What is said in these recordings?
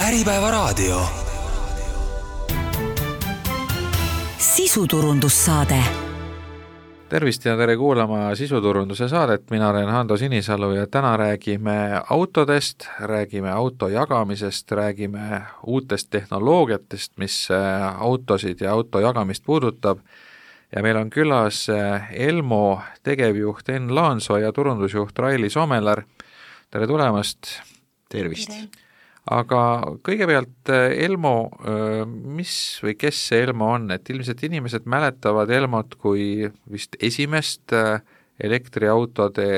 Äripäevaraadio. Sisuturundussaade. Tervist ja tere kuulama sisuturunduse saadet, mina olen Hando Sinisalu ja täna räägime autodest, räägime auto jagamisest, räägime uutest tehnoloogiatest, mis autosid ja auto jagamist puudutab ja meil on külas Elmo tegevjuht Enn Laansoo ja turundusjuht Raili Somelar. Tere tulemast! Tervist! Aga kõigepealt Elmo, mis või kes see Elmo on, et ilmselt inimesed mäletavad Elmot kui vist esimest elektriautode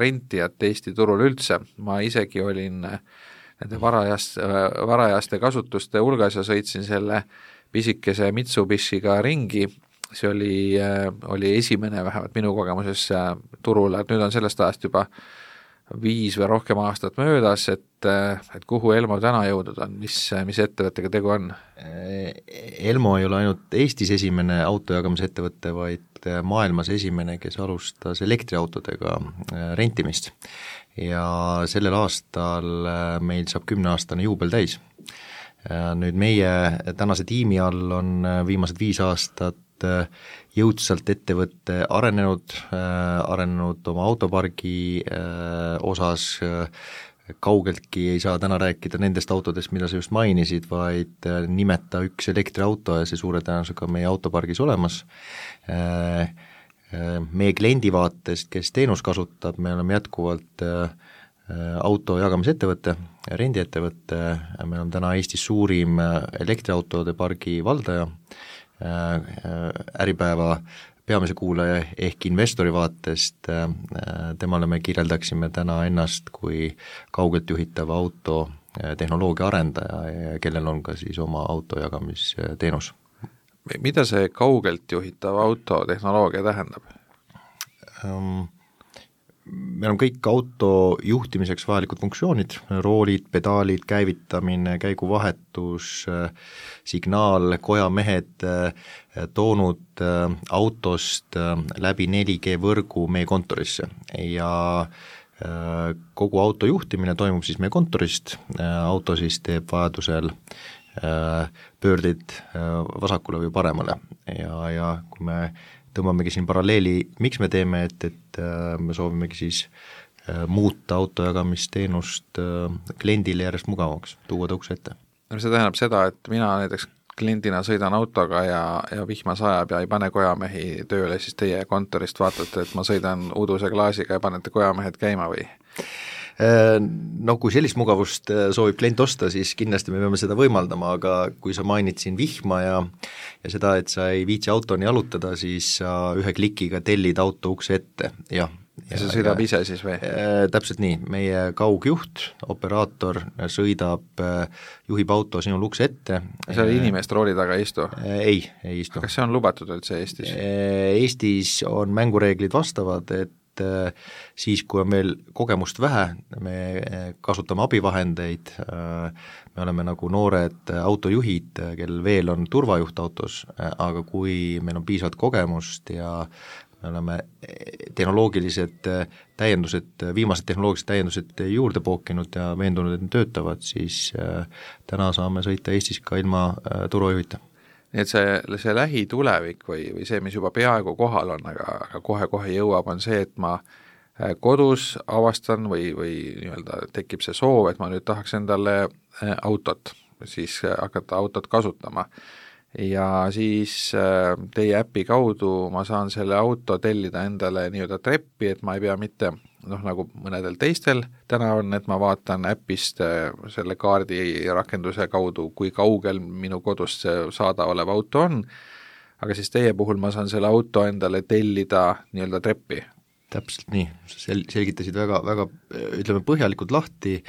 rentijat Eesti turul üldse. Ma isegi olin nende varajaste kasutuste hulgas ja sõitsin selle pisikese Mitsubishiga ringi. See oli esimene vähemalt minu kogemuses turule, et nüüd on sellest ajast juba 5 või rohkem aastat möödas, et kuhu Elmo täna jõudnud on, mis ettevõttega tegu on? Elmo ei ole ainult Eestis esimene autojagamise ettevõtte, vaid maailmas esimene, kes alustas elektriautodega rentimist. Ja sellel aastal meil saab 10-aastane juubel täis. Nüüd meie tänase tiimi all on viimased 5 aastat jõudsalt ettevõtte arenenud oma autopargi osas, kaugeltki ei saa täna rääkida nendest autodest, mida sa just mainisid, vaid nimeta üks elektriauto ja see suure tõenäosusega meie autopargis olemas. Meie kliendi vaatest, kes teenus kasutab, me oleme jätkuvalt auto jagamisettevõtte, rendiettevõtte, me oleme täna Eestis suurim elektriautode pargi valdaja, Äripäeva peamise kuulaja ehk investori vaatest, temale me kirjeldaksime täna ennast kui kaugelt juhitava auto tehnoloogia arendaja, kellel on ka siis oma autojagamisteenus. Mida see kaugelt juhitav auto tehnoloogia tähendab? Meil on kõik auto juhtimiseks vajalikud funktsioonid, roolid, pedaalid, käivitamine, käiguvahetus, signaal, kojamehed toonud autost läbi 4G võrgu meie kontorisse ja kogu auto juhtimine toimub siis meie kontorist, auto siis teeb vajadusel pöördid vasakule või paremale ja kui me tõmbamegi siin paralleeli, miks me teeme, et me soovimegi siis muuta autojagamisteenust kliendile järjest mugavaks, tuua ta ukse ette. See tähendab seda, et mina näiteks kliendina sõidan autoga ja vihma sajab ja ei pane kojamehi tööle, siis teie kontorist vaatate, et ma sõidan uduse klaasiga ja panete kojamehed käima või? No kui sellist mugavust soovib klient osta, siis kindlasti me peame seda võimaldama, aga kui sa mainid siin vihma ja seda, et sa ei viitsi autoni jalutada, siis sa ühe klikiga tellid auto ukse ette, jah. Ja see sõidab ise siis või? Täpselt nii, meie kaugjuht, operaator sõidab, juhib auto sinul ukse ette. Seal inimest rooli taga ei istu? Ei istu. Kas see on lubatud üldse Eestis? Eestis on mängureeglid vastavad, et siis, kui on veel kogemust vähe, me kasutame abivahendeid, me oleme nagu noored autojuhid, kellel veel on turvajuht autos, aga kui meil on piisavalt kogemust ja me oleme viimased tehnoloogilised täiendused juurde pookinud ja veendunud, et need töötavad, siis täna saame sõita Eestis ka ilma turvajuhita. Nii et see lähitulevik või see, mis juba peaaegu kohal on, aga kohe jõuab, on see, et ma kodus avastan või nii-öelda tekib see soov, et ma nüüd tahaks endale autot, siis hakata autot kasutama. Ja siis teie äpi kaudu ma saan selle auto tellida endale nii-öelda treppi, et ma ei pea mitte nagu mõnedel teistel täna on, et ma vaatan äpist selle kaardi rakenduse kaudu, kui kaugel minu kodust saada olev auto on, aga siis teie puhul ma saan selle auto endale tellida nii-öelda treppi. Täpselt nii, selgitasid väga ütleme põhjalikult lahti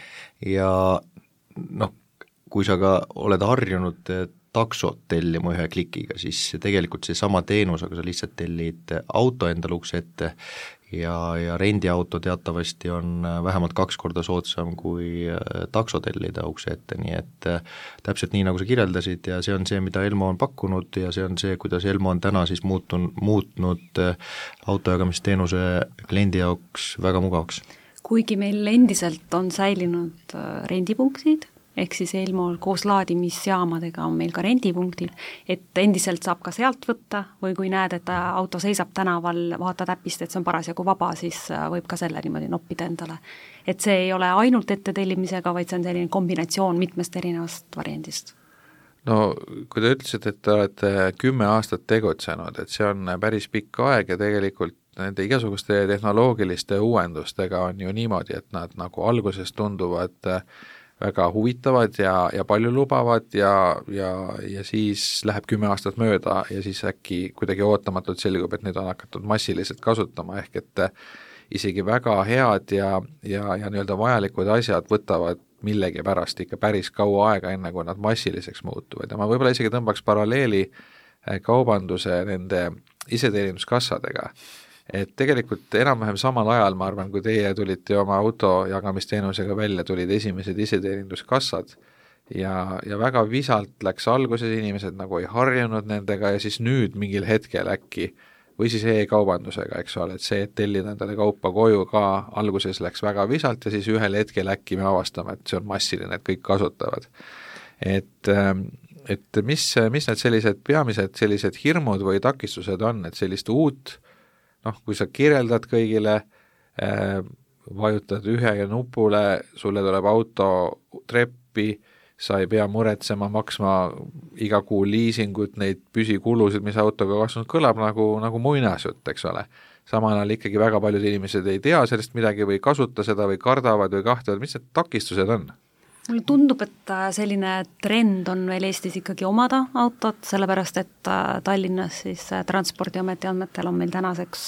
ja kui sa ka oled harjunud taksot tellima ühe klikiga, siis tegelikult see sama teenus, aga sa lihtsalt tellid auto endale ukse ette ja rendiauto teatavasti on vähemalt 2 korda soodsam kui takso tellida ukse ette, nii et täpselt nii, nagu sa kirjeldasid ja see on see, mida Elmo on pakkunud ja see on see, kuidas Elmo on täna siis muutnud autojagamisteenuse kliendi jaoks väga mugavaks. Kuigi meil endiselt on säilinud rendipunktid ehk siis Elmol koos laadimisjaamadega on meil ka rendipunktid, et endiselt saab ka sealt võtta või kui näed, et auto seisab tänaval, vaatad äpist, et see on parasjagu vaba, siis võib ka selle niimoodi noppida endale. Et see ei ole ainult ettetellimisega, vaid see on selline kombinatsioon mitmest erinevast variandist. No kui te ütlesite, et te olete 10 aastat tegutsenud, et see on päris pikk aeg ja tegelikult nende igasuguste tehnoloogiliste uuendustega on ju niimoodi, et nad nagu alguses tunduvad väga huvitavad ja palju lubavad ja siis läheb 10 aastat mööda ja siis äkki kuidagi ootamatult selgub, et nüüd on hakatud massiliselt kasutama, ehk et isegi väga head ja nii-öelda vajalikud asjad võtavad millegi pärast ikka päris kaua aega, enne kui nad massiliseks muutuvad ja ma võib-olla isegi tõmbaks paralleeli kaubanduse nende iseteeninduskassadega. Et tegelikult enam-vähem samal ajal, ma arvan, kui teie tulite oma autojagamisteenusega välja, tulid esimesed iseteeninduskassad ja väga visalt läks alguses, inimesed nagu ei harjunud nendega ja siis nüüd mingil hetkel äkki või siis e-kaubandusega, eks ole, et see, et tellida endale kaupa koju ka alguses läks väga visalt ja siis ühel hetkel äkki me avastame, et see on massiline, et kõik kasutavad. Et mis need sellised peamised sellised hirmud või takistused on, et sellist uut, kui sa kirjeldad kõigile, vajutad ühe nupule, sulle tuleb auto treppi, sa ei pea muretsema, maksma iga kuu liisingut, neid püsikulusid, mis autoga kasvanud, kõlab nagu muinasjutt, eks ole. Samal ajal ikkagi väga paljud inimesed ei tea sellest midagi või kasuta seda või kardavad või kahtlevad, mis need takistused on? Mulle tundub, et selline trend on veel Eestis ikkagi omada autot, sellepärast et Tallinnas siis Transpordiameti andmetel on meil tänaseks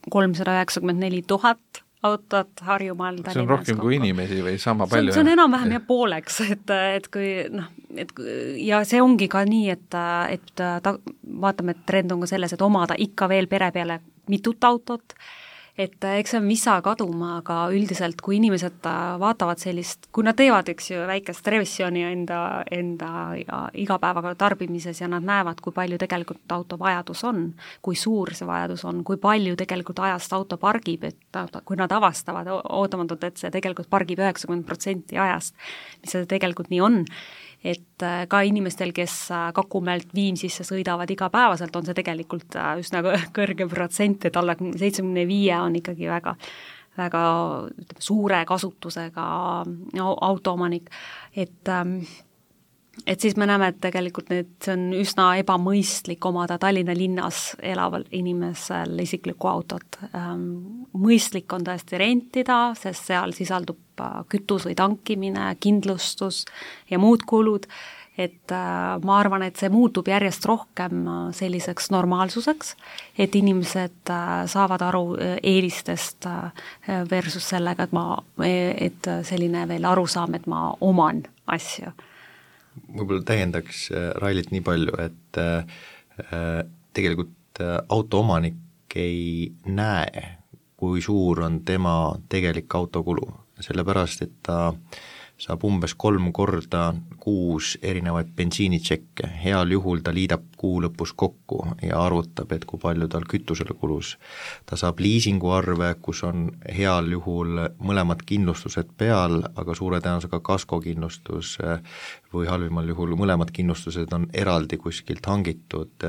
394 000 autot Harjumaal. See on rohkem kui inimesi või sama palju? See on enam-vähem ja pooleks, et kui ja see ongi ka nii, et vaatame, et trend on ka selles, et omada ikka veel pere peale mitut autot, et eks see on visa kaduma, aga üldiselt kui inimesed vaatavad sellist, kui nad teevad, eks ju, väikest revisjoni enda igapäevaga tarbimises ja nad näevad, kui palju tegelikult auto vajadus on, kui suur see vajadus on, kui palju tegelikult ajast auto pargib, et kui nad avastavad ootamatult, et see tegelikult pargib 90% ajast, mis see tegelikult nii on, et ka inimestel, kes Kakumäelt Viimsisse sõidavad igapäevaselt, on see tegelikult üsna kõrge protsent, et alla 75 on ikkagi väga suure kasutusega autoomanik, et siis me näeme, et tegelikult see on üsna ebamõistlik omada Tallinna linnas elaval inimesel isiklikku autot. Mõistlik on tõesti rentida, sest seal sisaldub kütus või tankimine, kindlustus ja muud kulud, et ma arvan, et see muutub järjest rohkem selliseks normaalsuseks, et inimesed saavad aru eelistest versus sellega, et selline veel arusaam, et ma oman asju. Võib-olla täiendaks Railit nii palju, et tegelikult autoomanik ei näe, kui suur on tema tegelik autokulu, sellepärast et ta saab umbes 3 korda kuus erinevaid bensiinitšekke, heal juhul ta liidab kuu lõpus kokku ja arvutab, et kui palju tal kütusele kulus. Ta saab liisinguarve, kus on heal juhul mõlemad kindlustused peal, aga suure tõenäosusega kaskokindlustus või halvimal juhul mõlemad kindlustused on eraldi kuskilt hangitud,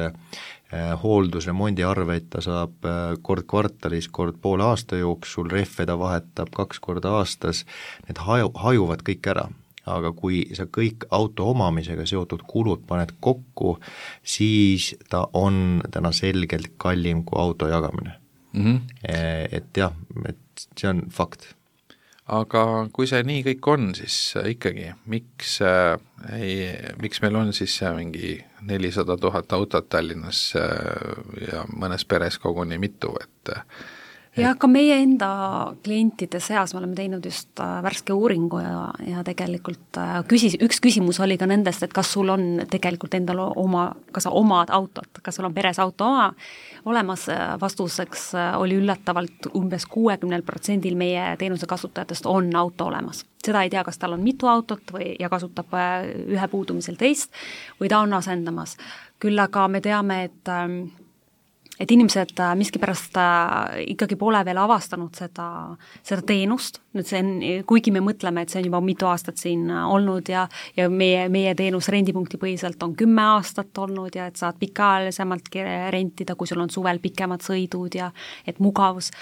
hooldusremondiarveid ta saab kord kvartalis, kord poole aasta jooksul, rehve ta vahetab 2 korda aastas, need hajuvad kõik ära, aga kui sa kõik auto omamisega seotud kulud paned kokku, siis ta on täna selgelt kallim kui auto jagamine. Et jah, et see on fakt. Aga kui see nii kõik on, siis ikkagi, miks meil on siis mingi 400 000 autot Tallinnas ja mõnes peres koguni mitu, ja ka meie enda klientide seas me oleme teinud just värske uuringu ja tegelikult üks küsimus oli ka nendest, et kas sul on tegelikult endal kas sa omad autot, kas sul on peres auto olemas, vastuseks oli üllatavalt umbes 60% meie teenuse kasutajatest on auto olemas. Seda ei tea, kas tal on mitu autot ja kasutab ühe puudumisel teist või ta on asendamas. Küll aga me teame, et inimesed miskipärast ikkagi pole veel avastanud seda teenust, nüüd see on, kuigi me mõtleme, et see on juba mitu aastat siin olnud ja meie teenus rendipunkti põhiselt on 10 aastat olnud ja et saad pikaajalisemalt rentida, kui sul on suvel pikemad sõidud ja et mugavus.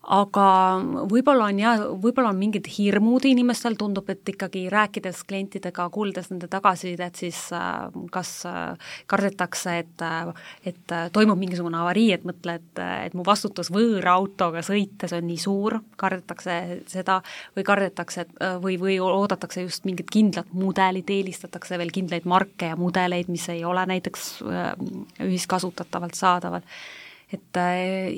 Aga võib-olla on mingid hirmud inimestel, tundub, et ikkagi rääkides klientidega, kuuldes nende tagasisidet, siis kas kardetakse, et toimub mingisugune avarii, et mõtle, et mu vastutus võõra autoga sõites on nii suur, kardetakse seda või kardetakse või oodatakse just mingit kindlat mudelit, eelistatakse veel kindlaid marke ja mudeleid, mis ei ole näiteks ühiskasutatavalt saadaval. Et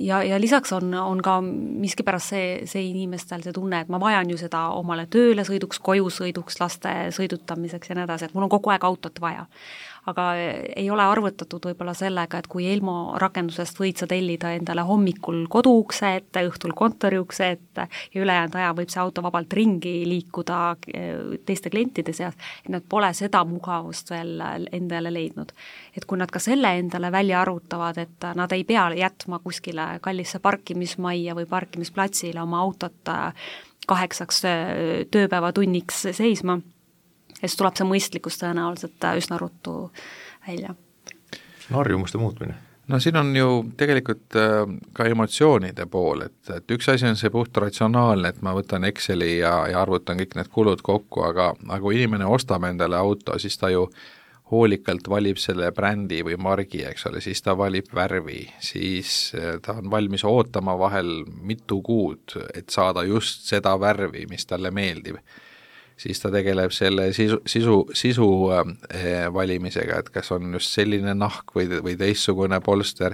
ja lisaks on ka miskipärast see inimestel see tunne, et ma vajan ju seda omale tööle sõiduks, koju sõiduks, laste sõidutamiseks ja nii edasi, et mul on kogu aeg autot vaja. Aga ei ole arvutatud võib-olla sellega, et kui Elmo rakendusest võid sa tellida endale hommikul koduukse ette, õhtul kontoriukse ette ja ülejäänud aja võib see auto vabalt ringi liikuda teiste klientide seas, et nad pole seda mugavust veel endale leidnud. Et kui nad ka selle endale välja arvutavad, et nad ei pea jätma kuskile kallisse parkimismajja või parkimisplatsile oma autot 8 tööpäevatunniks seisma, ja siis tuleb see mõistlikkus tõenäoliselt üsna ruttu välja. See on harjumuste muutmine. No siin on ju tegelikult ka emotsioonide pool, et üks asi on see puht ratsionaalne, et ma võtan Exceli ja arvutan kõik need kulud kokku, aga kui inimene ostab endale auto, siis ta ju hoolikalt valib selle brändi või margi, eks ole, siis ta valib värvi, siis ta on valmis ootama vahel mitu kuud, et saada just seda värvi, mis talle meeldib. Siis ta tegeleb selle sisu valimisega, et kas on just selline nahk või teistsugune polster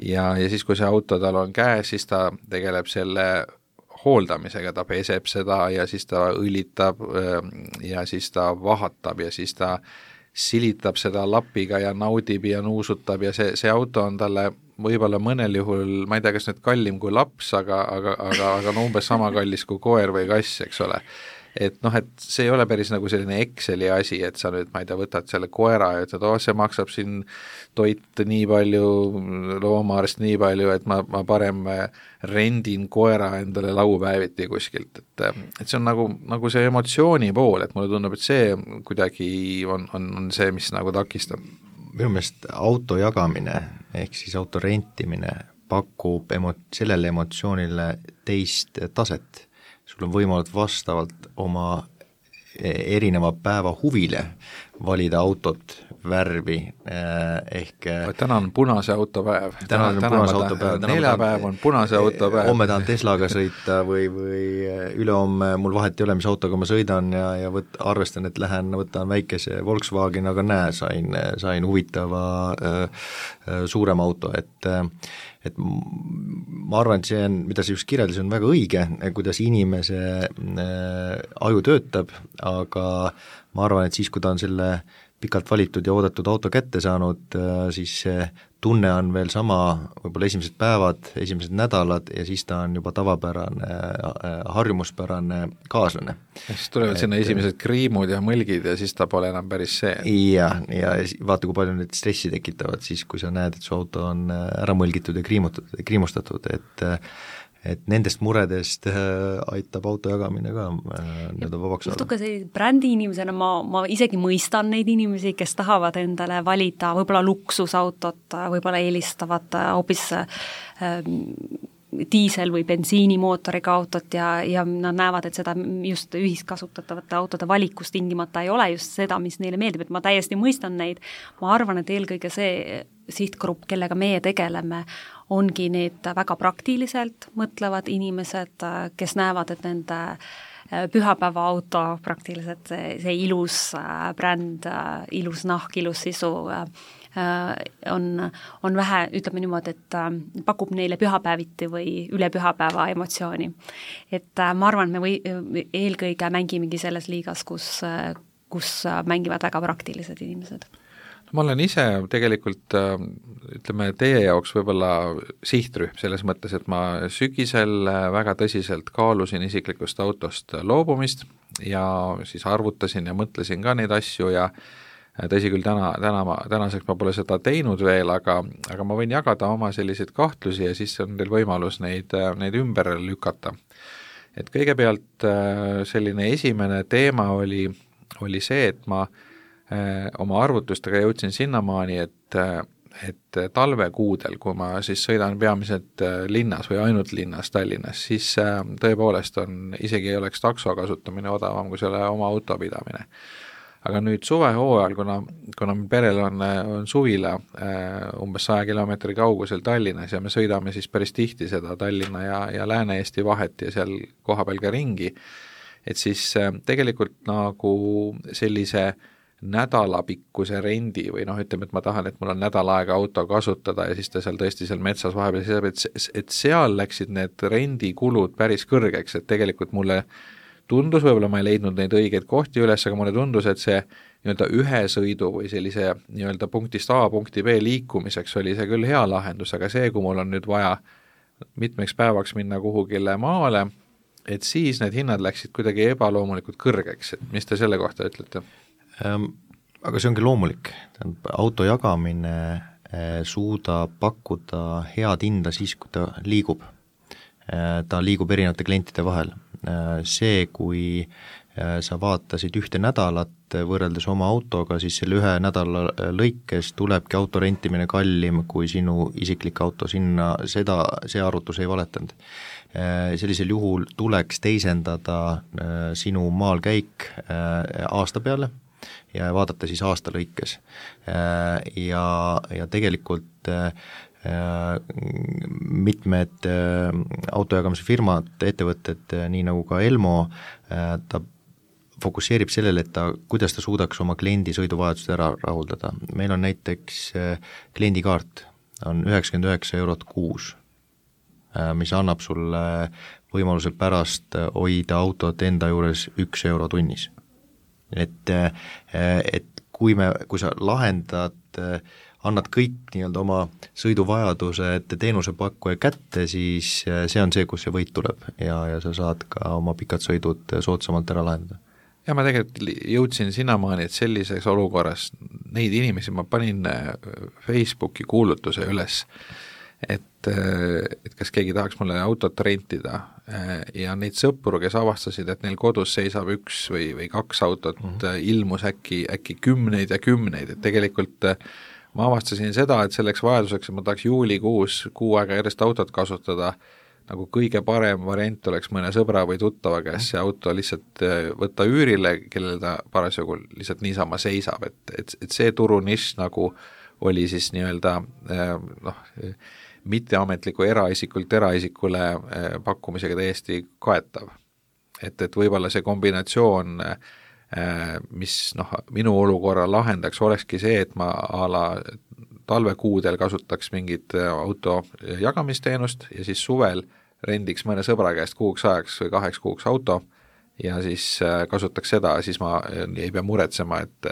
ja siis, kui see auto tal on käes, siis ta tegeleb selle hooldamisega, ta peseb seda ja siis ta õlitab ja siis ta vahatab ja siis ta silitab seda lapiga ja naudib ja nuusutab ja see auto on talle võib-olla mõnel juhul, ma ei tea, kas nüüd kallim kui laps, aga no umbes sama kallis kui koer või kass, eks ole. Et noh, et see ei ole päris nagu selline Exceli asi, et sa nüüd, ma ei tea, võtad selle koera ja ütled, see maksab siin toit nii palju, loomaarst nii palju, et ma parem rendin koera endale laupäeviti kuskilt, et see on nagu see emotsiooni pool, et mulle tundub, et see kuidagi on see, mis nagu takistab. Minu meelest auto jagamine ehk siis auto rentimine pakub sellele emotsioonile teist taset. Sul on võimalik vastavalt oma erineva päeva huvile valida autot, värvi ehk täna on punase auto päev. Täna on punase auto päev. Neljapäev on punase auto päev. Homme tahan Teslaga sõita või ülehomme mul vahet ei ole, mis autoga ma sõidan ja arvestan, et võtan väikese Volkswagen, aga sain huvitava suurema auto, et ma arvan, et see on, mida sa just kirjeldasid, on väga õige, kuidas inimese aju töötab, aga ma arvan, et siis, kui ta on selle pikalt valitud ja oodatud auto kätte saanud, siis see tunne on veel sama, võib-olla esimesed päevad, esimesed nädalad ja siis ta on juba tavapärane, harjumuspärane kaaslane. Ja siis tulevad sinna esimesed kriimud ja mõlgid ja siis ta pole enam päris see. Ja vaata, kui palju need stressi tekitavad siis, kui sa näed, et su auto on ära mõlgitud ja kriimustatud, et nendest muredest aitab auto jagamine ka vabaks saada. Natuke see brändi inimesena ma isegi mõistan neid inimesi, kes tahavad endale valida võib-olla luksusautot, võib-olla eelistavad hoopis diisel- või bensiinimootoriga autot ja nad näevad, et seda just ühiskasutatavate autode valikus tingimata ei ole just seda, mis neile meeldib, et ma täiesti mõistan neid. Ma arvan, et eelkõige see sihtgrupp, kellega meie tegeleme, ongi need väga praktiliselt mõtlevad inimesed, kes näevad, et nende pühapäevaauto praktiliselt see ilus bränd, ilus nahk, ilus sisu on vähe, ütleme niimoodi, et pakub neile pühapäeviti või üle pühapäeva emotsiooni. Et ma arvan, me eelkõige mängimegi selles liigas, kus mängivad väga praktilised inimesed. Ma olen ise tegelikult, ütleme, teie jaoks võib-olla sihtrühm selles mõttes, et ma sügisel väga tõsiselt kaalusin isiklikust autost loobumist ja siis arvutasin ja mõtlesin ka neid asju ja tõsi küll, tänaseks ma pole seda teinud veel, aga ma võin jagada oma selliseid kahtlusi ja siis on teil võimalus neid ümber lükata. Et kõigepealt selline esimene teema oli see, et ma oma arvutustega jõudsin sinnamaani, et talvekuudel, kui ma siis sõidan peamiselt linnas või ainult linnas Tallinnas, siis tõepoolest isegi ei oleks takso kasutamine odavam kui selle oma auto pidamine. Aga nüüd suvehooajal, kuna perel on suvila umbes 100 kilomeetri kaugusel Tallinnas ja me sõidame siis päris tihti seda Tallinna ja Lääne-Eesti vahet ja seal kohapeal ka ringi, et siis tegelikult nagu sellise nädalapikkuse rendi või ütleme, et ma tahan, et mul on nädal aega auto kasutada ja siis ta seal tõesti seal metsas vahepeal seisab, et seal läksid need rendikulud päris kõrgeks, et tegelikult mulle tundus, võib-olla ma ei leidnud neid õigeid kohti üles, aga mulle tundus, et see nii-öelda ühe sõidu või sellise nii-öelda punktist A punkti B liikumiseks oli see küll hea lahendus, aga see, kui mul on nüüd vaja mitmeks päevaks minna kuhugile maale, et siis need hinnad läksid kuidagi ebaloomulikult kõrgeks, et mis te selle kohta ütlete? Aga see ongi loomulik, auto jagamine suudab pakkuda head hinda siis, kui ta liigub erinevate klientide vahel. See, kui sa vaatasid ühte nädalat võrreldes oma autoga, siis selle ühe nädala lõikes tulebki auto rentimine kallim kui sinu isiklik auto, see arvutus ei valetanud. Sellisel juhul tuleks teisendada sinu maalkäik aasta peale ja vaadata siis aasta lõikes. Ja tegelikult mitmed autojagamise firmad, ettevõtted, nii nagu ka Elmo, ta fokusseerib sellele, et kuidas ta suudaks oma kliendi sõiduvajadust ära rahuldada. Meil on näiteks kliendikaart, on 99 € kuus, mis annab sulle võimaluse pärast hoida autot enda juures 1 € tunnis. Et kui sa lahendad, annad kõik nii-öelda oma sõiduvajadused teenusepakkuja kätte, siis see on see, kus see võit tuleb ja sa saad ka oma pikad sõidud soodsamalt ära lahendada. Ja ma tegelikult jõudsin sinnamaani, et sellises olukorras neid inimesi ma panin Facebooki kuulutuse üles, et kas keegi tahaks mulle autot rentida ja neid sõpru, kes avastasid, et neil kodus seisab 1 või 2 autot, ilmus äkki kümneid ja kümneid, et tegelikult ma avastasin seda, et selleks vajaduseks, et ma tahaks juulikuus 6 aega järjest autot kasutada, nagu kõige parem variant oleks mõne sõbra või tuttava käes see auto lihtsalt võtta üürile, kellel ta parasjagu lihtsalt niisama seisab, et see turunišš nagu oli siis nii-öelda mitteametliku eraisikult eraisikule pakkumisega täiesti kaetav. Et võib-olla see kombinatsioon, mis minu olukorra lahendaks, olekski see, et ma talvekuudel kasutaks mingit auto jagamisteenust ja siis suvel rendiks mõne sõbra käest 6 ajaks või 2 kuuks auto ja siis kasutaks seda, siis ma ei pea muretsema, et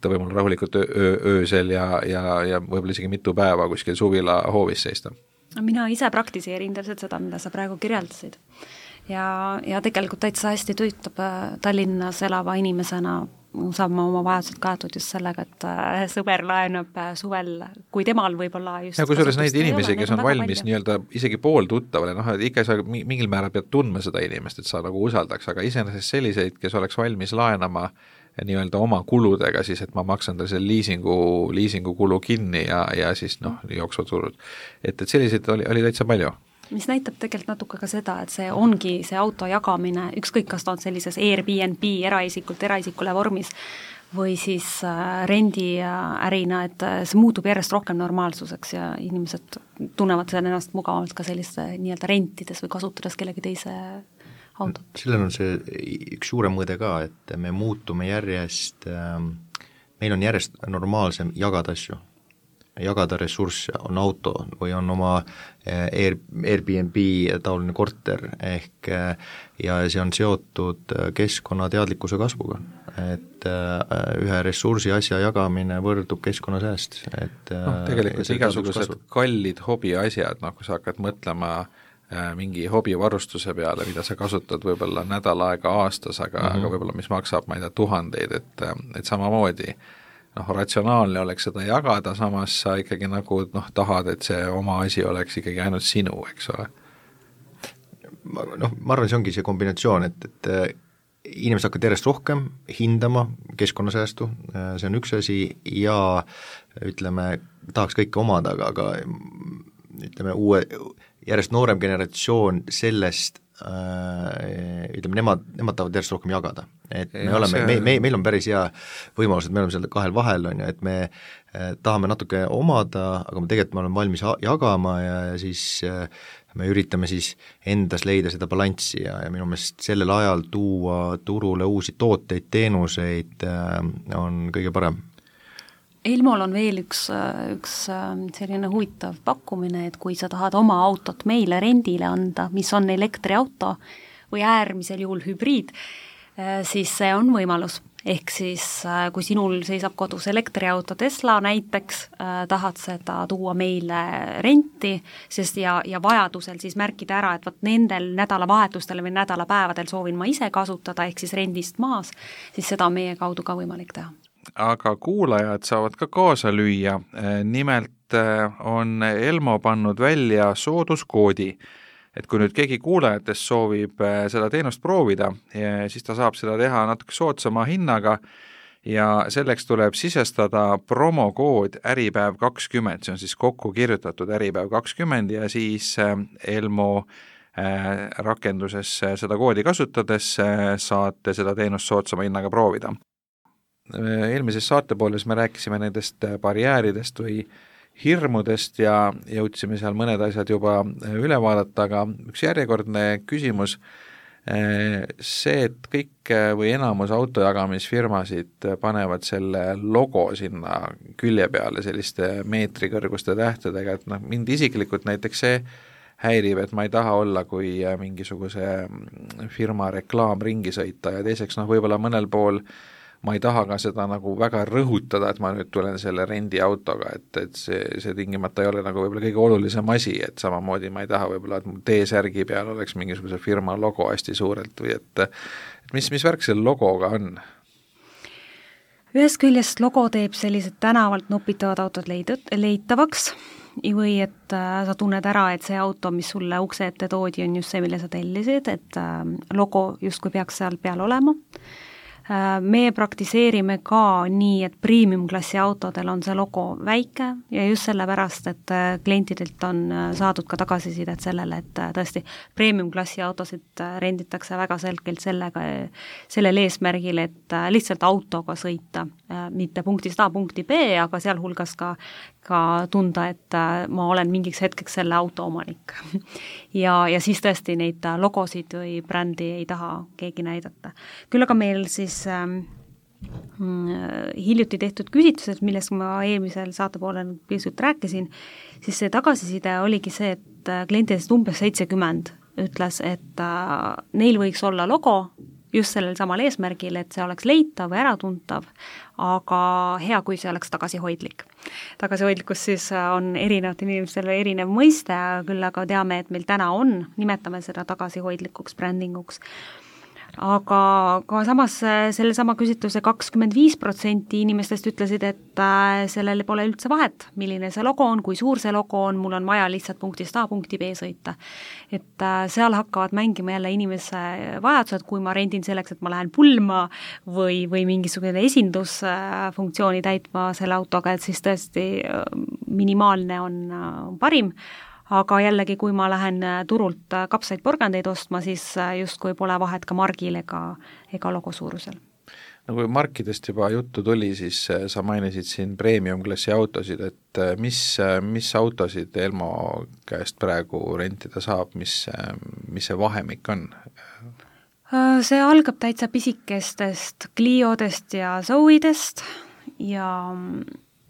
ta võib mul rahulikult öösel ja võib-olla isegi mitu päeva kuskil suvila hoovis seista. Mina ise praktiseerin täpselt seda, mida sa praegu kirjeldasid. Ja tegelikult täitsa hästi töötab Tallinnas elava inimesena, saab ma oma vajadused kaetud just sellega, et sõber laenab suvel, kui temal võib-olla just ja kui selles neid inimesi, kes on valmis nii-öelda isegi pool tuttavale, ikka sa mingil määral pead tundma seda inimest, et sa nagu usaldaks, aga iseenesest selliseid, kes oleks valmis laenama nii-öelda oma kuludega, siis et ma maksan ta selle liisingu kulu kinni ja siis jooksvad turud. Et selliseid oli täitsa palju. Mis näitab tegelikult natuke ka seda, et see ongi see auto jagamine, ükskõik kas ta on sellises Airbnb eraisikule vormis või siis rendiärina, et see muutub järjest rohkem normaalsuseks ja inimesed tunnevad ennast mugavalt ka selliste nii-öelda rentides või kasutades kellegi teise autot. Sellel on see üks suurem mõõde ka, et me muutume järjest, meil on järjest normaalsem jagada asju. Jagada ressursse, on auto või on oma Airbnb taoline korter ehk ja see on seotud keskkonnateadlikkuse kasvuga, et ühe ressursi asja jagamine võrdub keskkonnasääst. Tegelikult igasugused kallid hobiasjad, kui sa hakkad mõtlema mingi hobivarustuse peale, mida sa kasutad võib-olla nädal aega aastas, aga võib-olla mis maksab, ma ei tea, tuhandeid, et samamoodi ratsionaalne oleks seda jagada, samas sa ikkagi nagu tahad, et see oma asi oleks ikkagi ainult sinu, eks ole. Ma arvan, see ongi see kombinatsioon, et inimesed hakkavad järjest rohkem hindama keskkonnasäästu, see on üks asi, ja ütleme, tahaks kõike omada, aga ütleme, järjest noorem generatsioon sellest, ütleme, nemad tahavad järjest rohkem jagada. Et meil on päris hea võimalus, et me oleme seal kahel vahel, on ju, et me tahame natuke omada, aga tegelikult me oleme valmis jagama ja siis me üritame siis endas leida seda balanssi ja minu meelest sellel ajal tuua turule uusi tooteid, teenuseid on kõige parem. Elmol on veel üks selline huvitav pakkumine, et kui sa tahad oma autot meile rendile anda, mis on elektriauto või äärmisel juhul hübriid, siis see on võimalus. Ehk siis kui sinul seisab kodus elektriauto Tesla näiteks, tahad seda tuua meile renti, sest ja vajadusel siis märkida ära, et nendel nädalavahetustel või nädalapäevadel soovin ma ise kasutada, ehk siis rendist maas, siis seda on meie kaudu ka võimalik teha. Aga kuulajad saavad ka kaasa lüüa, nimelt on Elmo pannud välja sooduskoodi, et kui nüüd keegi kuulajatest soovib seda teenust proovida, siis ta saab seda teha natuke soodsama hinnaga ja selleks tuleb sisestada promokood äripäev20, see on siis kokku kirjutatud äripäev20 ja siis Elmo rakenduses seda koodi kasutades saate seda teenust soodsama hinnaga proovida. Eelmises saatepooles me rääkisime nendest barjääridest või hirmudest ja jõudsime seal mõned asjad juba üle vaadata, aga üks järjekordne küsimus, see, et kõik või enamus autojagamisfirmasid panevad selle logo sinna külje peale selliste meetrikõrguste tähtedega, et mind isiklikult näiteks see häirib, et ma ei taha olla, kui mingisuguse firma reklaam ringi sõita ja teiseks võib-olla mõnel pool ma ei taha ka seda nagu väga rõhutada, et ma nüüd tulen selle rendiautoga, et see tingimata ei ole nagu võib-olla kõige olulisem asi, et samamoodi ma ei taha võib-olla, et mu T-särgi peal oleks mingisuguse firma logo hästi suurelt või et mis värk selle logoga on? Ühest küljest logo teeb sellised tänavalt nopitavad autod leitavaks või et sa tunned ära, et see auto, mis sulle ukse ette toodi, on just see, mille sa tellisid, et logo justkui peaks seal peal olema. Me praktiseerime ka nii, et premium-klassi autodel on see logo väike ja just sellepärast, et klientidelt on saadud ka tagasisidet sellele, et tõesti premium-klassi autosid renditakse väga selgelt sellel eesmärgil, et lihtsalt autoga sõita, mitte punktist A punkti B, aga sealhulgas ka tunda, et ma olen mingiks hetkeks selle auto omanik. ja siis tõesti neid logosid või brändi ei taha keegi näidata. Küll aga meil siis hiljuti tehtud küsitlused, millest ma eelmisel saatepoolel pisut rääkisin, siis see tagasiside oligi see, et klientidest umbes 70 ütles, et neil võiks olla logo just sellel samal eesmärgil, et see oleks leitav või äratuntav, aga hea, kui see oleks tagasihoidlik. Tagasihoidlikkus siis on erinevatel inimestel erinev mõiste, küll aga teame, et meil täna nimetame seda tagasihoidlikuks brändinguks. Aga ka samas sellesama küsitluse 25% inimestest ütlesid, et sellele pole üldse vahet, milline see logo on, kui suur see logo on, mul on vaja lihtsalt punktist A punkti B sõita. Et seal hakkavad mängima jälle inimese vajadused, kui ma rendin selleks, et ma lähen pulma või mingisugune esindusfunktsiooni täitma selle autoga, et siis tõesti minimaalne on parim. Aga jällegi, kui ma lähen turult kapsaid porgandeid ostma, siis justkui pole vahet ka margil ega logo suurusel. No kui markidest juba juttu tuli, siis sa mainisid siin premium-klassi autosid, et mis autosid Elmo käest praegu rentida saab, mis see vahemik on? See algab täitsa pisikestest Cliodest ja Zoidest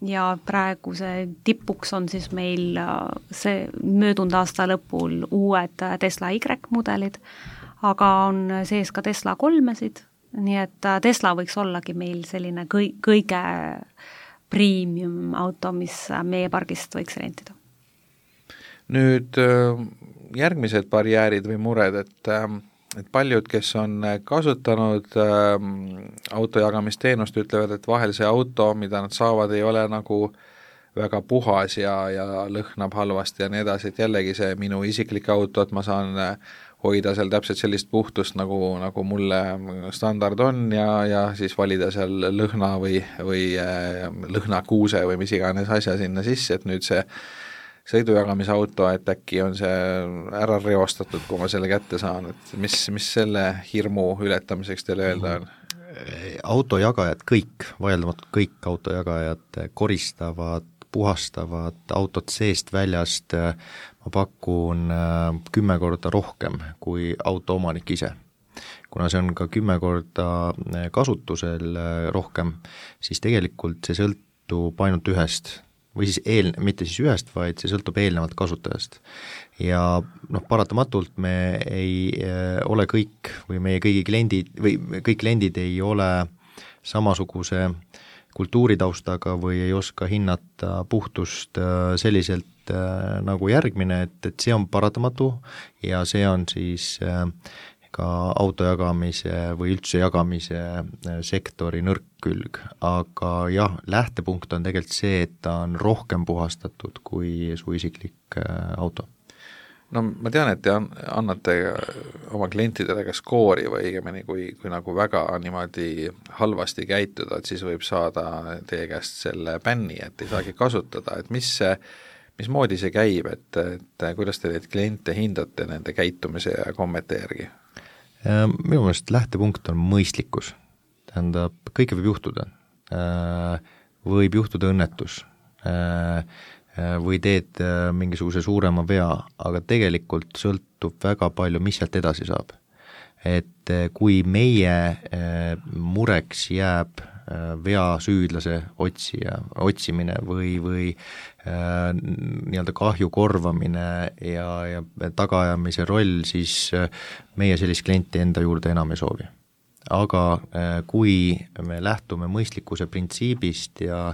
ja praegu see tipuks on siis meil see möödunud aasta lõpul uued Tesla Y-mudelid, aga on sees ka Tesla 3-sid, nii et Tesla võiks ollagi meil selline kõige premium auto, mis meie pargist võiks rentida. Nüüd järgmised barjäärid või mured, et paljud, kes on kasutanud autojagamisteenust, ütlevad, et vahel see auto, mida nad saavad, ei ole nagu väga puhas ja lõhnab halvasti ja nii edasi, et jällegi see minu isiklik auto, et ma saan hoida seal täpselt sellist puhtust, nagu mulle standard on ja siis valida seal lõhna või lõhnakuuse või mis iganes asja sinna sisse, et nüüd see sõidujagamisauto, et äkki on see ära reostatud, kui ma selle kätte saan, et mis selle hirmu ületamiseks teile öelda on? Autojagajad kõik, vaieldamatult kõik autojagajad koristavad, puhastavad autot seest väljast, ma pakun 10 korda rohkem kui auto omanik ise. Kuna see on ka 10 korda kasutusel rohkem, siis tegelikult see sõltub ainult ühest või siis mitte siis ühest, vaid see sõltub eelnevalt kasutajast. Ja paratamatult me ei ole kõik või meie kõigi kliendid või kõik kliendid ei ole samasuguse kultuuritaustaga või ei oska hinnata puhtust selliselt nagu järgmine, et see on paratamatu ja see on siis ka autojagamise või üldse jagamise sektori nõrk külg, aga jah, lähtepunkt on tegelikult see, et ta on rohkem puhastatud kui su isiklik auto. No ma tean, et te annate oma klientidele ka skoori või õigemini, kui nagu väga niimoodi halvasti käituda, et siis võib saada teie käest selle bänni, et ei saagi kasutada, et mismoodi see käib, et kuidas te neid kliente hindate nende käitumise ja kommete järgi? Minu meelest lähtepunkt on mõistlikkus, tähendab, kõike võib juhtuda, võib juhtuda õnnetus, või teed mingisuguse suurema vea, aga tegelikult sõltub väga palju, mis sealt edasi saab. Et kui meie mureks jääb vea süüdlase otsimine või nii-öelda kahju korvamine ja tagaajamise roll, siis meie sellist klienti enda juurde enam ei soovi. Aga kui me lähtume mõistlikkuse printsiibist ja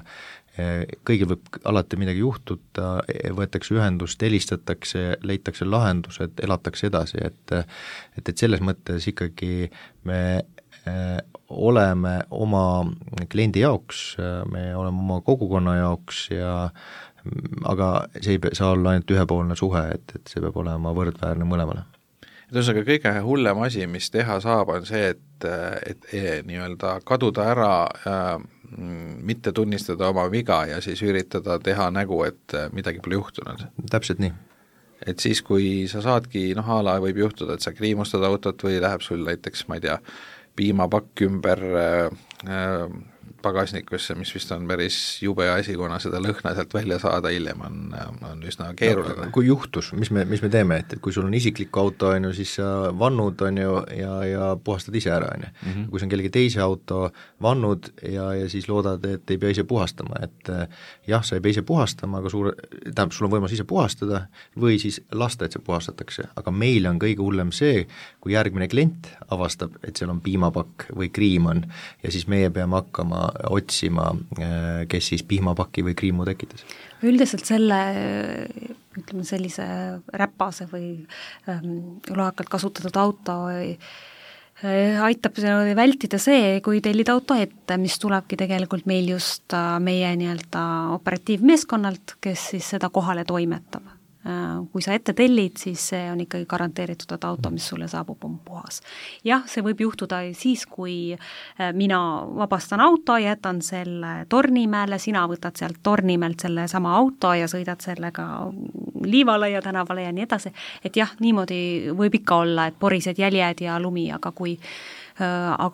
kõigil võib alati midagi juhtuda, võetakse ühendust, helistatakse, leitakse lahendused, elatakse edasi, et selles mõttes ikkagi me oleme oma kliendi jaoks, me oleme oma kogukonna jaoks aga see ei saa olla ainult ühepoolne suhe, et see peab olema võrdväärne mõlemale. Ühesõnaga kõige hullem asi, mis teha saab, on see, et nii-öelda kaduda ära, mitte tunnistada oma viga ja siis üritada teha nägu, et midagi pole juhtunud. Täpselt nii. Et siis, kui sa saadki, ala võib juhtuda, et sa kriimustad autot või läheb sul näiteks, ma ei tea, piimapakk ümber pagasnikusse, mis vist on päris jube asi, kuna seda lõhna sealt välja saada hiljem on üsna keeruline. Kui juhtus, mis me teeme, et kui sul on isiklik auto, siis sa vannud ja puhastad ise ära, kui see on kellegi teise auto, vannud ja siis loodad, et ei pea ise puhastama, et jah, sa ei pea ise puhastama, aga sul on võimalus ise puhastada või siis lasta, et see puhastatakse, aga meil on kõige hullem see, kui järgmine klient avastab, et seal on piimapakk või kriim on ja siis meie peame hakkama otsima, kes siis piimapaki või kriimu tekitas. Üldiselt ütleme sellise räpase või loakalt kasutatud auto aitab vältida see, kui tellida auto ette, mis tulebki tegelikult meil just meie nii-öelda operatiivmeeskonnalt, kes siis seda kohale toimetab. Kui sa ette tellid, siis see on ikkagi garanteeritud, et auto, mis sulle saabub, on puhas. Jah, see võib juhtuda siis, kui mina vabastan auto, jätan selle Tornimäele, sina võtad sealt Tornimäelt selle sama auto ja sõidad sellega Liivalaia tänavale ja nii edasi, et jah, niimoodi võib ikka olla, et porised jäljed ja lumi, aga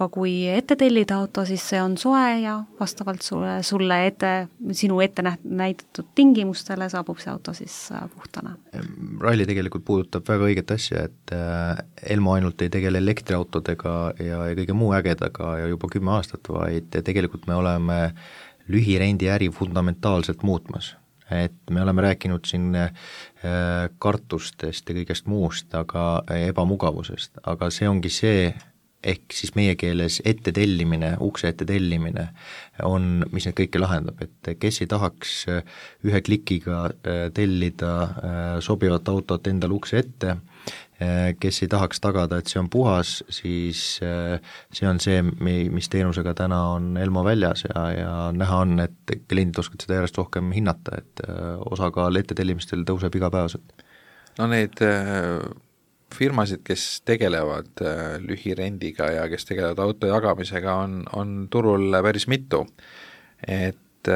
kui ette tellida auto, siis see on soe ja vastavalt sinu ette näidatud tingimustele saabub see auto siis puhtana. Ralli tegelikult puudutab väga õiget asja, et Elmo ainult ei tegele elektriautodega ja kõige muu ägedaga ja juba 10 aastat, vaid tegelikult me oleme lühirendi äri fundamentaalselt muutmas. Et me oleme rääkinud siin kartustest ja kõigest muust, aga ebamugavusest, aga see ongi see, ehk siis meie keeles ette tellimine, ukse ette tellimine on, mis need kõike lahendab, et kes ei tahaks ühe klikiga tellida sobivat autot endale ukse ette, kes ei tahaks tagada, et see on puhas, siis see on see, mis teenusega täna on Elmo väljas ja näha on, et kliendid oskavad seda järjest rohkem hinnata, et osakaal ettetellimistel tõuseb igapäevaselt. No need firmasid, kes tegelevad lühirendiga ja kes tegelevad auto jagamisega, on turul päris mitu, et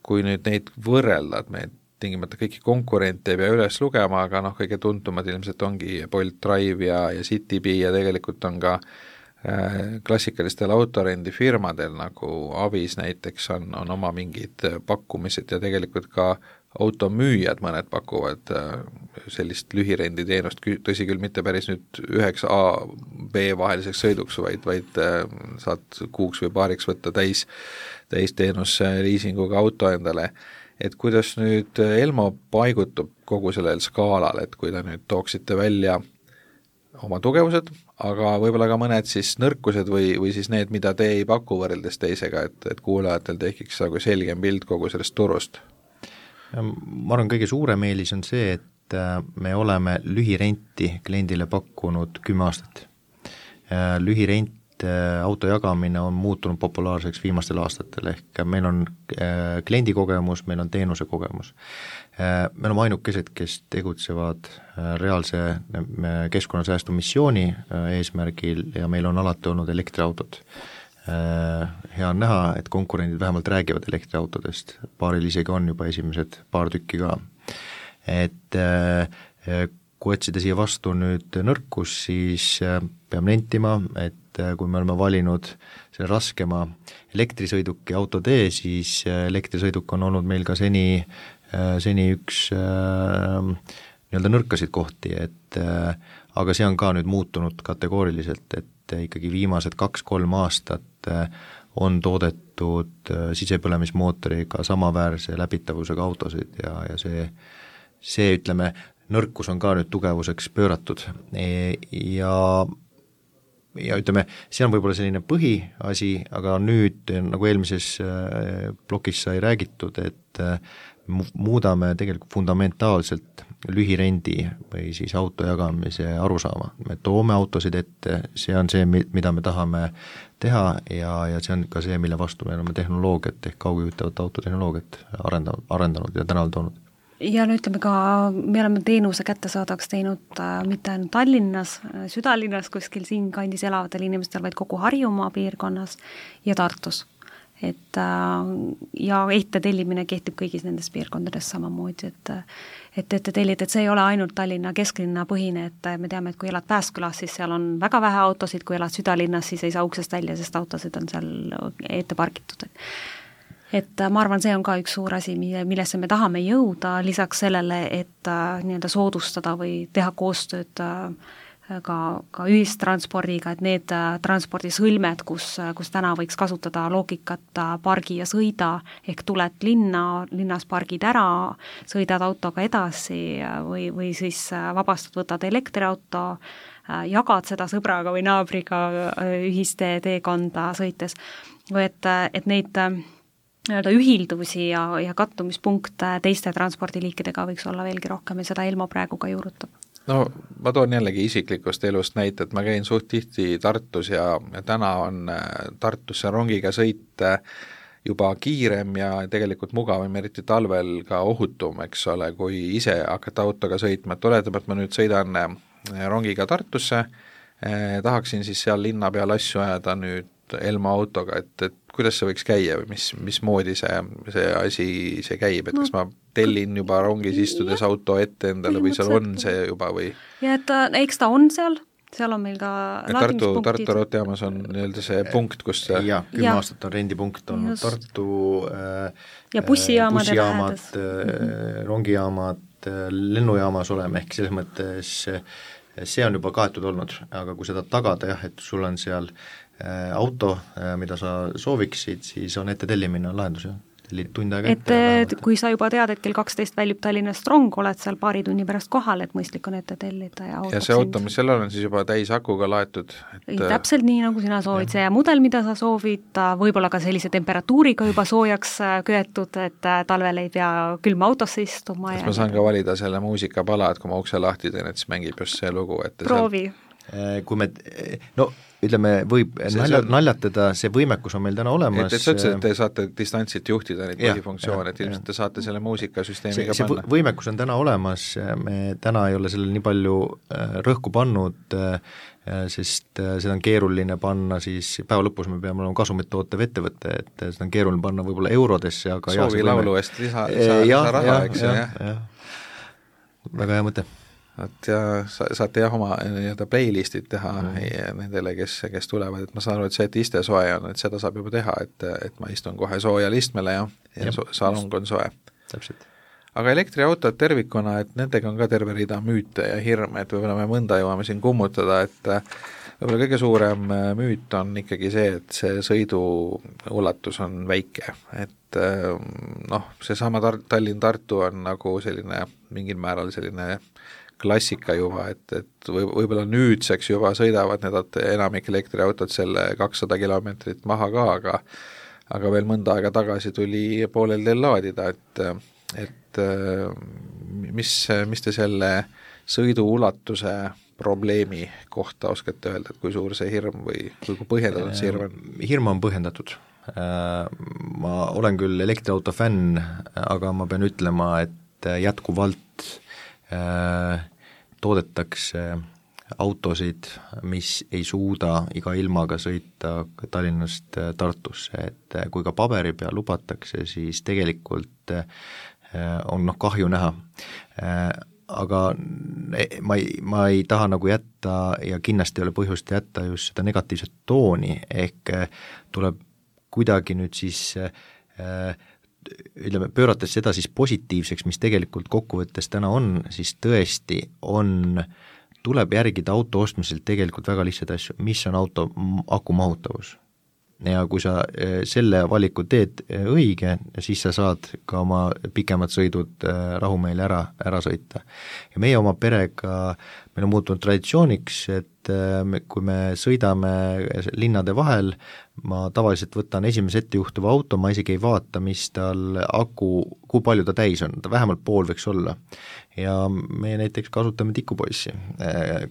kui nüüd neid võrrelda, et me tingimata kõiki konkurente ei pea üles lugema, aga kõige tuntumad ilmselt ongi Bolt Drive ja Citybee ja tegelikult on ka klassikalistel autorendifirmadel nagu Avis näiteks on oma mingid pakkumised ja tegelikult ka automüüjad mõned pakuvad sellist lühirenditeenust, tõsi küll mitte päris nüüd 9A, B vaheliseks sõiduks, vaid saad kuuks või paariks võtta täisteenus liisinguga auto endale. Et kuidas nüüd Elmo paigutub kogu sellel skaalal, et kui ta nüüd tooksite välja oma tugevused, aga võib-olla ka mõned siis nõrkused või siis need, mida te ei paku võrreldes teisega, et kuulajatel tekiks nagu selgem pilt kogu sellest turust? Ma arvan, kõige suurem eelis on see, et me oleme lühirenti kliendile pakkunud 10 aastat. Lühirent auto jagamine on muutunud populaarseks viimastel aastatel, ehk meil on kliendi kogemus, meil on teenuse kogemus. Me oleme ainukesed, kes tegutsevad reaalse keskkonnasäästu missiooni eesmärgil ja meil on alati olnud elektriautod. Hea on näha, et konkurendid vähemalt räägivad elektriautodest, paaril isegi on juba esimesed paar tükki ka. Et kui otsida siia vastu nüüd nõrkus, siis peame nentima, et kui me oleme valinud selle raskema elektrisõiduki autotee, siis elektrisõiduk on olnud meil ka seni üks nii-öelda nõrkasid kohti, aga see on ka nüüd muutunud kategooriliselt, et ikkagi viimased 2-3 aastat on toodetud sisepõlemismootoriga samaväärse läbitavusega autosid ja see ütleme, nõrkus on ka nüüd tugevuseks pööratud ja ütleme, see on võib-olla selline põhiasi, aga nüüd, nagu eelmises plokis sai räägitud, et muudame tegelikult fundamentaalselt lühirendi või siis auto jagamise arusaama. Me toome autosid ette, see on see, mida me tahame teha ja see on ka see, mille vastu me oleme tehnoloogiat ehk kaugjuhitavat autotehnoloogiat arendanud ja tänal toonud. Ja no ütleme ka, me oleme teenuse kättesaadavaks teinud mitte ainult Tallinnas, südalinnas kuskil siin kandis elavatel inimestel, vaid kogu Harjumaa piirkonnas ja Tartus. Et ja tellimine kehtib kõigis nendes piirkondades samamoodi, et tellid, et see ei ole ainult Tallinna kesklinna põhine, et me teame, et kui elad Pääskülas, siis seal on väga vähe autosid, kui elad südalinnas, siis ei saa uksest välja, sest autosid on seal ette pargitud. Et ma arvan, see on ka üks suur asi, millesse me tahame jõuda, lisaks sellele, et nii-öelda soodustada või teha koostööd ka ühistranspordiga, et need transpordisõlmed, kus täna võiks kasutada loogikat pargi ja sõida, ehk tuled linnas pargid ära, sõidad autoga edasi või siis vabastad, võtad elektriauto, jagad seda sõbraga või naabriga ühisteekonda sõites, või et neid nii-öelda ühildusi ja kattumispunkte teiste transpordiliikidega võiks olla veelgi rohkem ja seda Elmo praegu ka juurutab. No ma toon jällegi isiklikust elust näite, et ma käin suht tihti Tartus ja täna on Tartusse rongiga sõit juba kiirem ja tegelikult mugavam, eriti talvel ka ohutum, eks ole, kui ise hakata autoga sõitma, et oletame, et ma nüüd sõidan rongiga Tartusse, tahaksin siis seal linna peal asju ajada nüüd Elmo autoga, et kuidas see võiks käia või mismoodi see asi käib, et kas ma tellin juba rongis istudes auto ette endale või seal on see juba või? Ja et eks ta on seal on meil ka laadimispunktid. Tartu raudteejaamas on nii-öelda see punkt, kus see... Jaa, 10 aastat on rendipunkt olnud Tartu ja bussijaamad, rongijaamad, lennujaamas oleme, ehk selles mõttes see on juba kaetud olnud, aga kui seda tagada jah, et sul on seal auto, mida sa sooviksid, siis on ette tellimine on lahendus, jah. tund aega et kui sa juba tead, et kell 12 väljub Tallinnast rong, oled seal paari tunni pärast kohal, et mõistlik on ette tellida ja see auto, mis seal on siis juba täis akuga laetud? Täpselt nii, nagu sina soovid, see mudel, mida sa soovid, võib-olla ka sellise temperatuuriga juba soojaks köetud, et talvel ei pea külma autosse istuma. Kas ma saan ka valida selle muusikapala, et kui ma ukse lahti teen, et siis mängib just see lugu? Proovi. Kui me, ütleme, võib naljatada, see võimekus on meil täna olemas. Sa ütlesid, et te saate distantsilt juhtida neid põhifunktsioone, et ilmselt te saate selle muusikasüsteemiga panna. Võimekus on täna olemas, me täna ei ole sellele nii palju rõhku pannud, sest seda on keeruline panna siis, päeva lõpus me peame olema kasumit tootev ettevõte, et seda on keeruline panna võib-olla eurodesse, aga soovi laulu eest lisa raha, eks ju. Väga hea mõte. Et ja saate oma nii-öelda playlistid teha nendele, kes tulevad, et ma saan aru, et see, et iste soe on, et seda saab juba teha, et ma istun kohe soojal istmele ja salong on soe. Täpselt. Aga elektriautod tervikuna, et nendega on ka terve rida müüte ja hirme, et võib-olla me mõnda jõuame siin kummutada, et võib-olla kõige suurem müüt on ikkagi see, et see sõidu ulatus on väike, et seesama Tallinn-Tartu on nagu selline mingil määral selline klassika juba, et võib-olla nüüdseks juba sõidavad need enamik elektriautod selle 200 kilomeetrit maha ka, aga veel mõnda aega tagasi tuli poolel teel laadida, et mis te selle sõidu ulatuse probleemi kohta oskate öelda, et kui suur see hirm või kui põhjendatud see hirm on? Hirm on põhjendatud. Ma olen küll elektriauto fänn, aga ma pean ütlema, et jätkuvalt toodetakse autosid, mis ei suuda iga ilmaga sõita Tallinnast Tartusse, et kui ka paberi peal lubatakse, siis tegelikult on kahju näha. Aga ma ei taha nagu jätta ja kindlasti ei ole põhjust jätta just seda negatiivset tooni, ehk tuleb kuidagi nüüd siis pöörates seda siis positiivseks, mis tegelikult kokkuvõttes täna on, siis tõesti tuleb järgida auto ostmisel tegelikult väga lihtsaid asju, mis on auto akumahutavus. Ja kui sa selle valiku teed õige, siis sa saad ka oma pikemad sõidud rahumeeli ära sõita. Ja meie oma perega, meil on muutunud traditsiooniks, et kui me sõidame linnade vahel, ma tavaliselt võtan esimese ettejuhtuva auto, ma isegi ei vaata, mis tal kui palju ta täis on, ta vähemalt pool võiks olla. Ja me näiteks kasutame tikupoissi,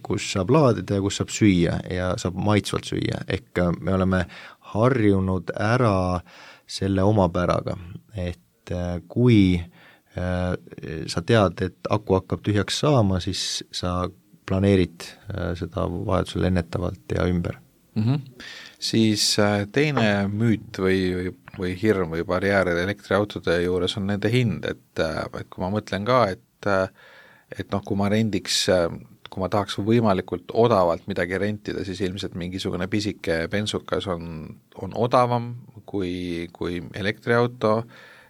kus saab laadida ja kus saab süüa ja saab maitsvalt süüa, ehk me oleme harjunud ära selle omapäraga, et kui sa tead, et aku hakkab tühjaks saama, siis sa planeerid seda vajadusel ennetavalt ja ümber. Siis teine müüt või hirm või barjääride elektriautode juures on nende hind, et kui ma mõtlen ka, et kui ma rendiks, kui ma tahaks võimalikult odavalt midagi rentida, siis ilmselt mingisugune pisike bensukas on odavam kui elektriauto,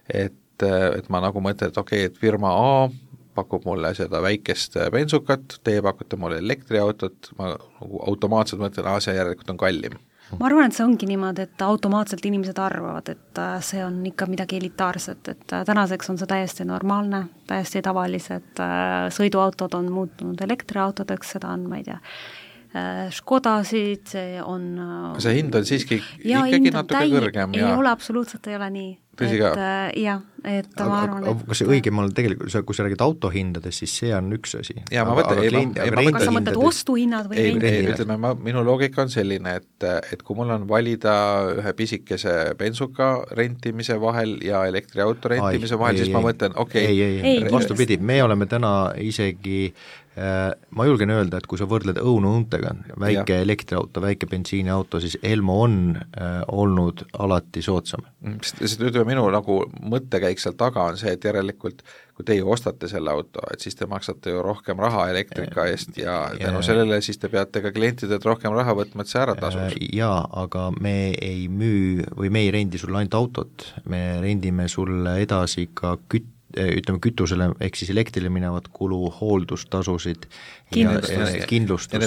et ma nagu mõtlen, et okei, et firma A pakub mulle seda väikest bensukat, teie pakute mulle elektriautot, ma nagu automaatselt mõtlen, see järelikult on kallim. Ma arvan, et see ongi niimoodi, et automaatselt inimesed arvavad, et see on ikka midagi elitaarset, et tänaseks on see täiesti normaalne, täiesti tavalised sõiduautod on muutunud elektriautodeks, seda on, ma ei tea, Škodasid, see on see hind on siiski ikkagi natuke kõrgem. Ei ole, absoluutselt ei ole nii. Tõsi ka? Ma arvan, et kas see õigemal tegelikult, kui sa räägid autohindadest, siis see on üks asi. Kas sa mõtled ostuhinnad või rendid? Ütleme, minu loogika on selline, et kui mul on valida ühe pisikese bensuka rentimise vahel ja elektriauto rentimise vahel, siis ma mõtlen, vastupidi, me oleme täna isegi ma julgen öelda, et kui sa võrdled õunu-õuntega, väike elektriauto, väike bensiiniauto, siis Elmo on olnud alati soodsam. Minu nagu mõttekäik seal taga on see, et järelikult kui teie ostate selle auto, et siis te maksate ju rohkem raha elektrika eest ja tänu sellele siis te peate ka klientidelt rohkem raha võtma, et see ära tasus. Jaa, aga me ei müü või me ei rendi sulle ainult autot, me rendime sulle edasi ka ütleme kütusele ehk siis elektrile minevat kulu, hooldustasusid, kindlustust ja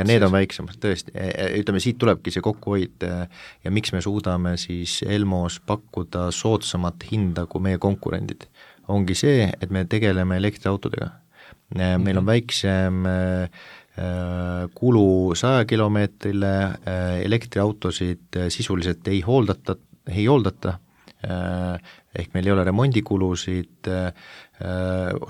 need on väiksemad tõesti, ütleme siit tulebki see kokkuhoid ja miks me suudame siis Elmos pakkuda soodsamat hinda kui meie konkurendid, ongi see, et me tegeleme elektriautodega. Meil on väiksem kulu 100 kilomeetrile, elektriautosid sisuliselt ei hooldata, ehk meil ei ole remondikulusid,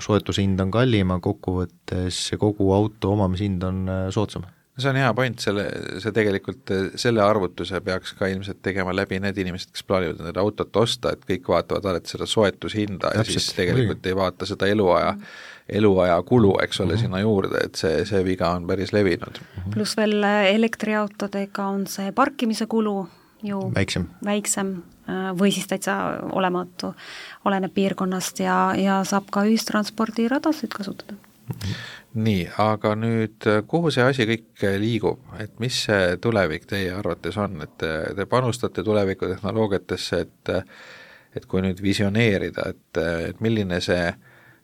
soetushind on kallima, kokkuvõttes kogu auto omamishind on soodsam. See on hea point, see tegelikult selle arvutuse peaks ka ilmselt tegema läbi need inimesed, kes plaanivad nende autot osta, et kõik vaatavad alati seda soetushinda ja siis tegelikult ei vaata seda eluaja kulu, eks ole, sinna juurde, et see viga on päris levinud. Pluss veel elektriautodega on see parkimise kulu ju väiksem või siis täitsa olematu, oleneb piirkonnast ja saab ka ühistranspordiradasid kasutada. Nii, aga nüüd kuhu see asi kõik liigub, et mis see tulevik teie arvates on, et te panustate tulevikutehnoloogiatesse, et kui nüüd visioneerida, et milline see,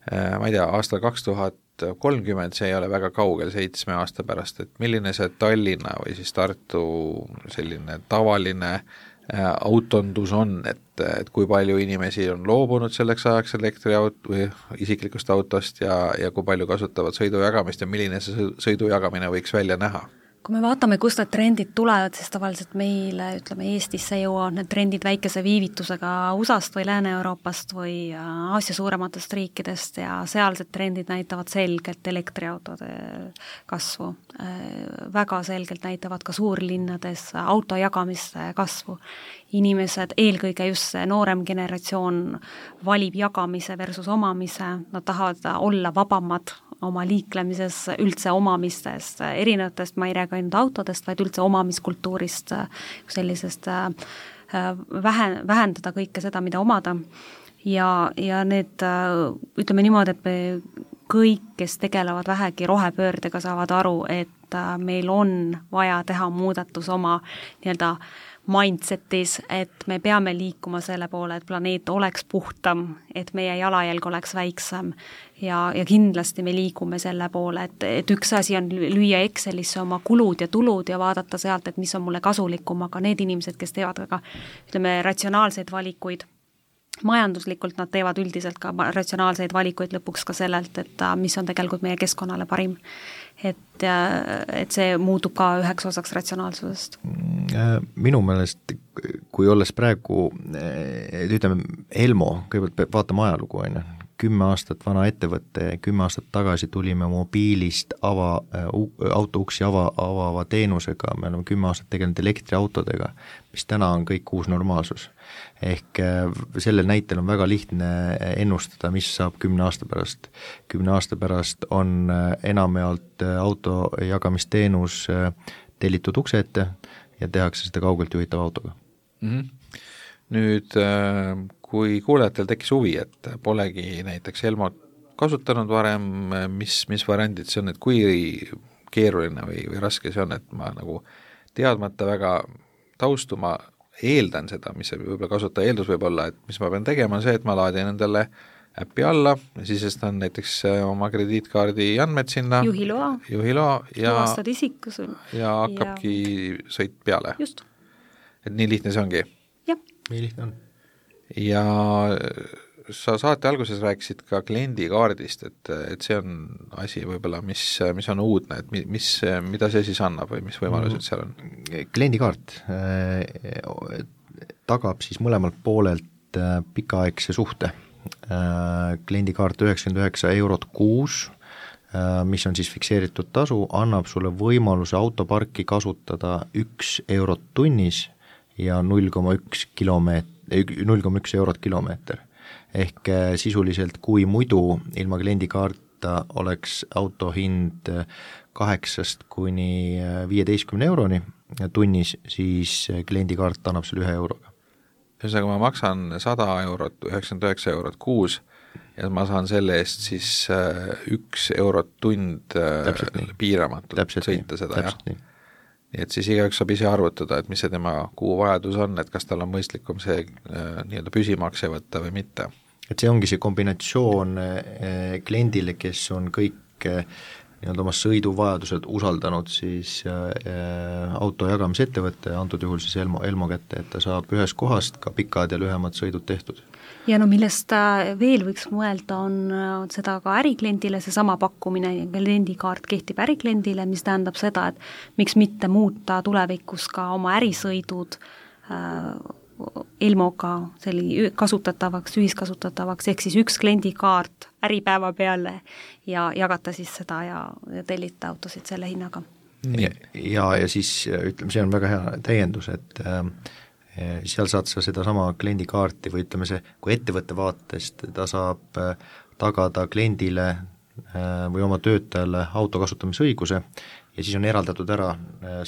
ma ei tea, aastal 2030, see ei ole väga kaugel 7 aasta pärast, et milline see Tallinna või siis Tartu selline tavaline autondus on, et kui palju inimesi on loobunud selleks ajaks või isiklikust autost ja kui palju kasutavad sõidujagamist ja milline see sõidujagamine võiks välja näha? Kui me vaatame, kust need trendid tulevad, siis tavaliselt meile, ütleme Eestisse jõuavad need trendid väikese viivitusega USA-st või Lääne-Euroopast või Aasia suurematest riikidest ja sealsed trendid näitavad selgelt elektriautode kasvu. Väga selgelt näitavad ka suurlinnades auto jagamiste kasvu. Inimesed, eelkõige just see noorem generatsioon valib jagamise versus omamise, nad tahavad olla vabamad oma liiklemises, üldse omamistest, erinevatest, ma ei räägi ainult autodest, vaid üldse omamiskultuurist, sellisest vähendada kõike seda, mida omada. Ja need, ütleme niimoodi, et me kõik, kes tegelevad vähegi rohepöördega, saavad aru, et meil on vaja teha muudatus oma nii-öelda mindsetis, et me peame liikuma selle poole, et planeet oleks puhtam, et meie jalajälg oleks väiksem ja kindlasti me liigume selle poole, et üks asi on lüüa Excelisse oma kulud ja tulud ja vaadata sealt, et mis on mulle kasulikum, aga need inimesed, kes teevad väga, ütleme, ratsionaalseid valikuid, majanduslikult nad teevad üldiselt ka ratsionaalseid valikuid lõpuks ka sellelt, et mis on tegelikult meie keskkonnale parim. Et see muutub ka üheks osaks ratsionaalsusest. Minu meelest, kui olles praegu, ütleme, Elmo, kõigepealt vaatame ajalugu, 10 aastat vana ettevõtte, 10 aastat tagasi tulime mobiilist autouksi avava teenusega, me oleme 10 aastat tegelenud elektriautodega, mis täna on kõik uus normaalsus. Ehk sellel näitel on väga lihtne ennustada, mis saab 10 aasta pärast. 10 aasta pärast on enamjaolt auto jagamisteenus tellitud ukse ette ja tehakse seda kaugelt juhitava autoga. Nüüd kui kuulajatel tekkis huvi, et polegi näiteks Elmot kasutanud varem, mis variandid see on, et kui keeruline või raske see on, et ma nagu teadmata väga taustuma eeldan seda, mis see võib-olla kasutaja eeldus võib olla, et mis ma pean tegema, on see, et ma laadin endale äppi alla, sisestan näiteks oma krediitkaardi andmed sinna, juhiloa ja hakkabki sõit peale. Just. Et nii lihtne see ongi? Jah. Nii lihtne on. Ja sa saate alguses rääkisid ka kliendikaardist, et see on asi võib-olla, mis on uudne, et mida see siis annab või mis võimalused seal on? Kliendikaart tagab siis mõlemalt poolelt pikaaegse suhte. Kliendikaart 99 € kuus, mis on siis fikseeritud tasu, annab sulle võimaluse autoparki kasutada 1 € tunnis ja 0,1 eurot kilomeeter. Ehk sisuliselt, kui muidu ilma kliendikaarta oleks auto hind 8 kuni 15 euroni tunnis, siis kliendikaart annab selle 1 euroga. Ühesõnaga ma maksan 100 €, 99 € kuus ja ma saan selle eest siis 1 eurot tund piiramatult sõita seda, jah? Nii et siis igaüks saab ise arvutada, et mis see tema kuu vajadus on, et kas tal on mõistlikum see nii-öelda püsimakse võtta või mitte. et see ongi see kombinatsioon kliendile, kes on kõik nii-öelda oma sõiduvajadused usaldanud siis auto jagamisettevõtte, antud juhul siis Elmo kätte, et ta saab ühest kohast ka pikad ja lühemad sõidud tehtud. Ja no millest veel võiks mõelda, on seda ka ärikliendile, seesama pakkumine, kliendikaart kehtib ärikliendile, mis tähendab seda, et miks mitte muuta tulevikus ka oma ärisõidud Elmoga kasutatavaks, ühiskasutatavaks, ehk siis üks kliendikaart äripäeva peale ja jagata siis seda ja tellita autosid selle hinnaga. Ja siis ütleme, see on väga hea täiendus, et seal saad sa sedasama kliendikaarti või ütleme see, kui ettevõtte vaatest ta saab tagada kliendile või oma töötajale auto kasutamisõiguse ja siis on eraldatud ära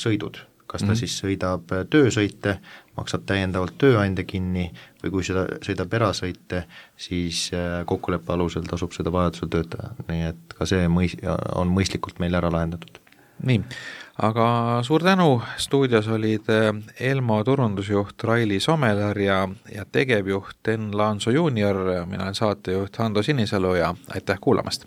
sõidud, kas ta siis sõidab töösõite, maksab täiendavalt tööandja kinni või kui seda sõidab erasõite, siis kokkuleppe alusel tasub seda vajadusel töötaja, nii et ka see on mõistlikult meil ära lahendatud. Nii, aga suur tänu, stuudios olid Elmo turundusjuht Raili Somelar ja tegevjuht Enn Laanso juunior, mina olen saatejuht Hando Sinisalu ja aitäh kuulamast!